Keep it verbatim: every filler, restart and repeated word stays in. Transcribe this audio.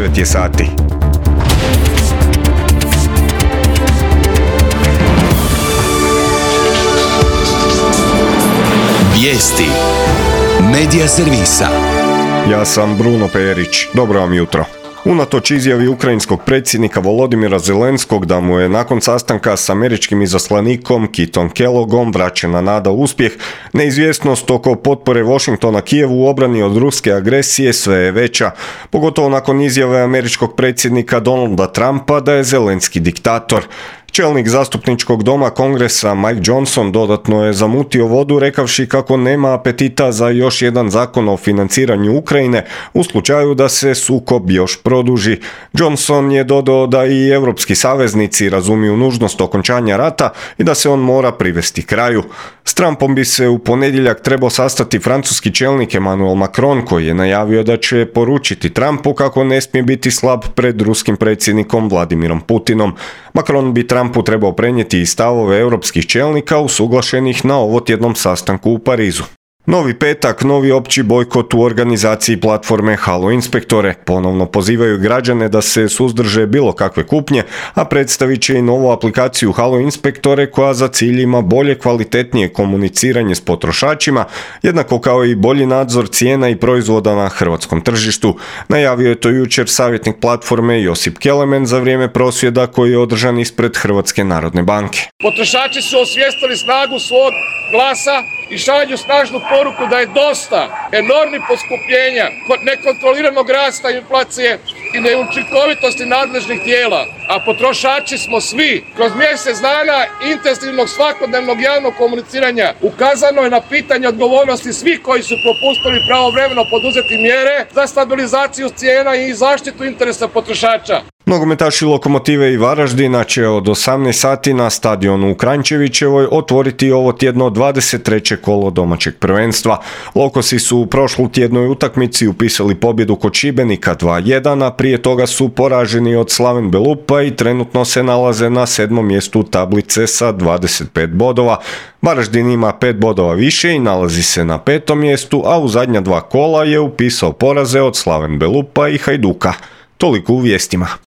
devet je sati. Vijesti Medija servisa. Ja sam Bruno Perić. Dobro vam jutro. Unatoč izjavi ukrajinskog predsjednika Volodimira Zelenskog da mu je nakon sastanka s američkim izaslanikom Kitom Kellogom vraćena nada u uspjeh, neizvjesnost oko potpore Washingtona Kijevu u obrani od ruske agresije sve je veća, pogotovo nakon izjave američkog predsjednika Donalda Trumpa da je Zelenski diktator. Čelnik zastupničkog doma Kongresa Mike Johnson dodatno je zamutio vodu rekavši kako nema apetita za još jedan zakon o financiranju Ukrajine u slučaju da se sukob još produži. Johnson je dodao da i europski saveznici razumiju nužnost okončanja rata i da se on mora privesti kraju. S Trumpom bi se u ponedjeljak trebao sastati francuski čelnik Emmanuel Macron koji je najavio da će poručiti Trumpu kako ne smije biti slab pred ruskim predsjednikom Vladimirom Putinom. Macron bi Trumpu trebao prenijeti i stavove europskih čelnika usuglašenih na ovotjednom sastanku u Parizu. Novi petak, novi opći bojkot u organizaciji platforme Halo Inspektore. Ponovno pozivaju građane da se suzdrže bilo kakve kupnje, a predstavit će i novu aplikaciju Halo Inspektore koja za cilj ima bolje, kvalitetnije komuniciranje s potrošačima, jednako kao i bolji nadzor cijena i proizvoda na hrvatskom tržištu. Najavio je to jučer savjetnik platforme Josip Kelemen za vrijeme prosvjeda koji je održan ispred Hrvatske narodne banke. Potrošači su osvijestili snagu svog glasa i šalju snažnu poruku da je dosta enormnih poskupljenja, nekontroliranog rasta inflacije i neučinkovitosti nadležnih tijela, a potrošači smo svi. Kroz mjesec dana intenzivnog svakodnevnog javnog komuniciranja ukazano je na pitanje odgovornosti svih koji su propustili pravovremeno poduzeti mjere za stabilizaciju cijena i zaštitu interesa potrošača. Nogometaši Lokomotive i Varaždina će od osamnaest sati na stadionu u Kranjčevićevoj otvoriti ovo tjedno dvadeset treće kolo domaćeg prvenstva. Lokosi su u prošlu tjednoj utakmici upisali pobjedu kod Šibenika dva jedan, a prije toga su poraženi od Slaven Belupa i trenutno se nalaze na sedmom mjestu tablice sa dvadeset pet bodova. Varaždin ima pet bodova više i nalazi se na petom mjestu, a u zadnja dva kola je upisao poraze od Slaven Belupa i Hajduka. Toliko u vijestima.